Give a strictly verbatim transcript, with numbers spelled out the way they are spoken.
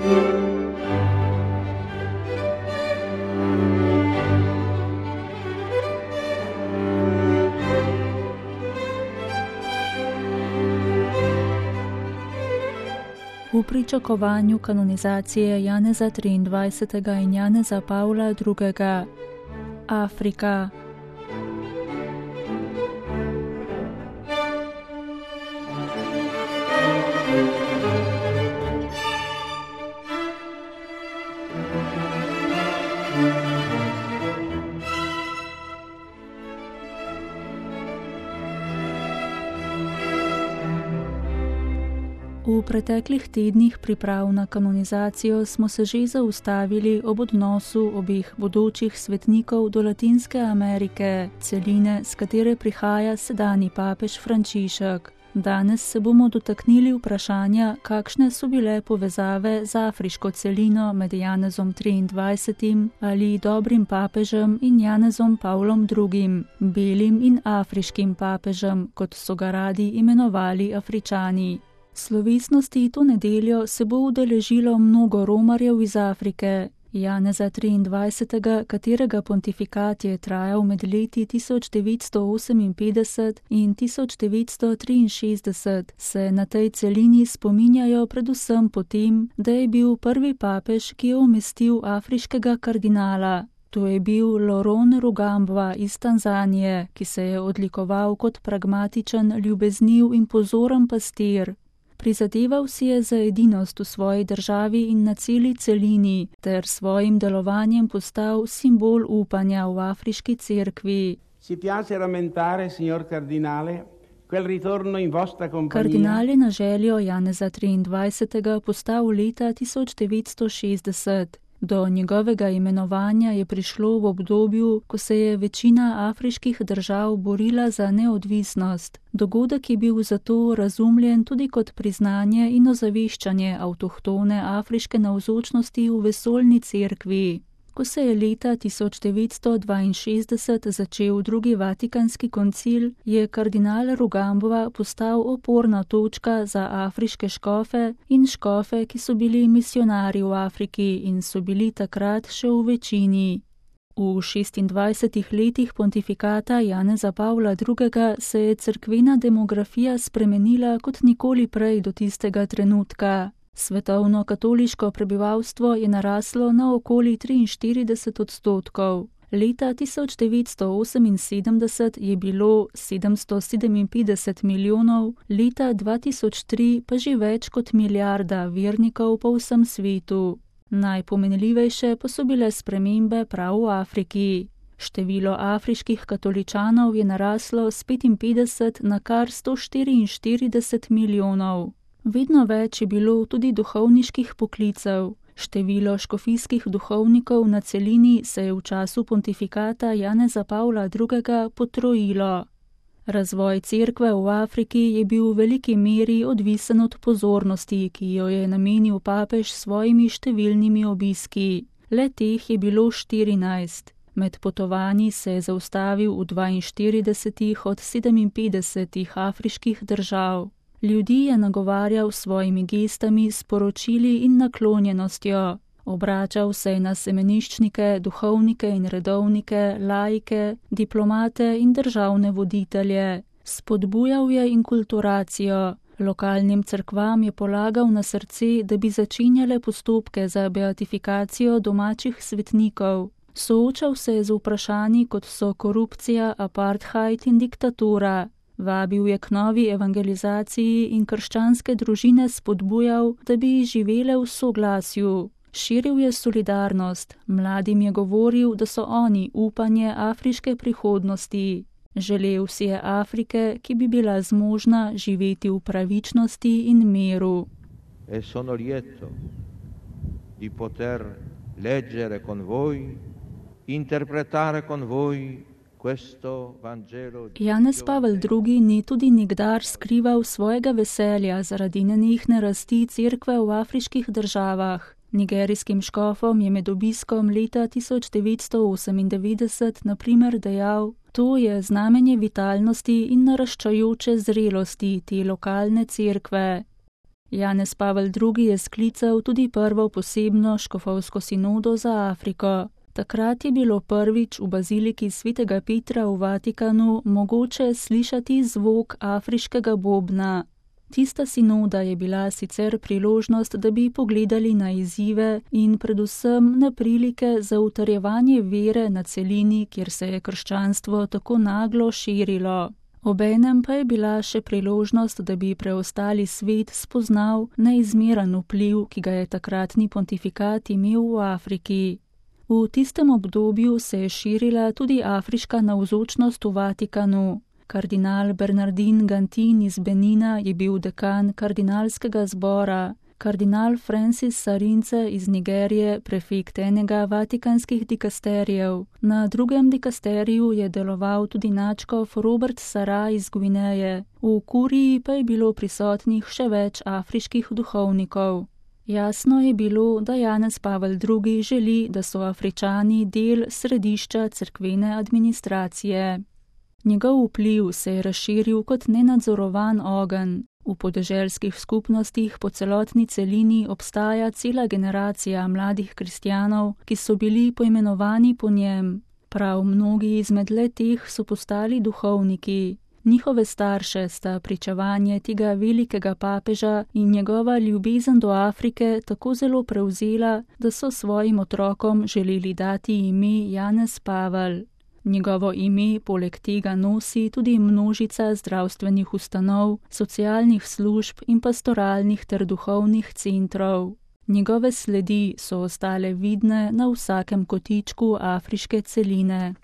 V pričakovanju kanonizacije Janeza triindvajsetega in Janeza Pavla drugega. Afrika. V preteklih tednih priprav na kanonizacijo smo se že zaustavili ob odnosu obeh bodočih svetnikov do Latinske Amerike, celine, s katere prihaja sedanji papež Frančišek. Danes se bomo dotaknili vprašanja, kakšne so bile povezave z afriško celino med Janezom triindvajsetim ali dobrim papežem in Janezom Pavlom drugim, belim in afriškim papežem, kot so ga radi imenovali Afričani. Slovesnosti to nedeljo se bo udeležilo mnogo romarjev iz Afrike. Janeza triindvajsetega, katerega pontifikat je trajal med leti tisoč devetsto oseminpetdeset in tisoč devetsto triinšestdeset, se na tej celini spominjajo predvsem po tem, da je bil prvi papež, ki je umestil afriškega kardinala. To je bil Laurent Rugambwa iz Tanzanije, ki se je odlikoval kot pragmatičen, ljubezniv in pozoren pastir. Prizadeval si je za edinost v svoji državi in na celi celini, ter svojim delovanjem postal simbol upanja v afriški cerkvi. Kardinal je na željo Janeza triindvajsetega postal leta tisoč devetsto šestdeset. Do njegovega imenovanja je prišlo v obdobju, ko se je večina afriških držav borila za neodvisnost. Dogodek je bil zato razumljen tudi kot priznanje in ozaveščanje avtohtone afriške navzočnosti v vesoljni cerkvi. Ko se je leta tisoč devetsto dvainšestdeset začel drugi vatikanski koncil, je kardinal Rugambwa postal oporna točka za afriške škofe in škofe, ki so bili misijonarji v Afriki in so bili takrat še v večini. V šestindvajsetih letih pontifikata Janeza Pavla drugega se je cerkvena demografija spremenila kot nikoli prej do tistega trenutka. Svetovno katoliško prebivalstvo je naraslo na okoli triinštirideset odstotkov. Leta tisoč devetsto oseminsedemdeset je bilo sedemsto sedeminpetdeset milijonov, leta dva tisoč tri pa že več kot milijarda vernikov po vsem svetu. Najpomenljivejše pa so bile spremembe prav v Afriki. Število afriških katoličanov je naraslo s petinpetdeset na kar sto štiriinštirideset milijonov. Vedno več je bilo tudi duhovniških poklicev. Število škofijskih duhovnikov na celini se je v času pontifikata Janeza Pavla drugega potrojilo. Razvoj cerkve v Afriki je bil v veliki meri odvisen od pozornosti, ki jo je namenil papež s svojimi številnimi obiski. Le teh je bilo štirinajst. Med potovanji se je zaustavil v dvainštiridesetih od sedeminpetdesetih afriških držav. Ljudi je nagovarjal s svojimi gestami, sporočili in naklonjenostjo. Obračal se je na semeniščnike, duhovnike in redovnike, laike, diplomate in državne voditelje. Spodbujal je inkulturacijo. Lokalnim cerkvam je polagal na srce, da bi začenjale postopke za beatifikacijo domačih svetnikov. Soočal se je z vprašanji, kot so korupcija, apartheid in diktatura. Vabil je k novi evangelizaciji in krščanske družine spodbujal, da bi živele v soglasju. Širil je solidarnost, mladim je govoril, da so oni upanje afriške prihodnosti. Želel si je Afrike, ki bi bila zmožna živeti v pravičnosti in miru. E sono lieto di poter leggere con voi, interpretare con voi. Janez Pavel drugi ni tudi nikdar skrival svojega veselja zaradi nenehne rasti cerkve v afriških državah. Nigerijskim škofom je med obiskom leta tisoč devetsto osemindevetdeset na primer dejal: to je znamenje vitalnosti in naraščajoče zrelosti te lokalne cerkve. Janez Pavel drugi je sklical tudi prvo posebno škofovsko sinodo za Afriko. Takrat je bilo prvič v baziliki svetega Petra v Vatikanu mogoče slišati zvok afriškega bobna. Tista sinoda je bila sicer priložnost, da bi pogledali na izzive in predvsem na prilike za utrjevanje vere na celini, kjer se je krščanstvo tako naglo širilo. Obenem pa je bila še priložnost, da bi preostali svet spoznal neizmeren vpliv, ki ga je takratni pontifikat imel v Afriki. V tistem obdobju se je širila tudi afriška navzočnost v Vatikanu. Kardinal Bernardin Gantin iz Benina je bil dekan kardinalskega zbora, kardinal Francis Sarince iz Nigerije prefekt enega vatikanskih dikasterijev. Na drugem dikasteriju je deloval tudi nadškof Robert Sara iz Gvineje, v kuriji pa je bilo prisotnih še več afriških duhovnikov. Jasno je bilo, da Janez Pavel drugi želi, da so Afričani del središča cerkvene administracije. Njegov vpliv se je razširil kot nenadzorovan ogenj. V podeželskih skupnostih po celotni celini obstaja cela generacija mladih kristjanov, ki so bili poimenovani po njem. Prav mnogi izmed le-teh so postali duhovniki. Njihove starše sta pričevanje tega velikega papeža in njegova ljubezen do Afrike tako zelo prevzela, da so svojim otrokom želeli dati ime Janez Pavel. Njegovo ime poleg tega nosi tudi množica zdravstvenih ustanov, socialnih služb in pastoralnih ter duhovnih centrov. Njegove sledi so ostale vidne na vsakem kotičku afriške celine.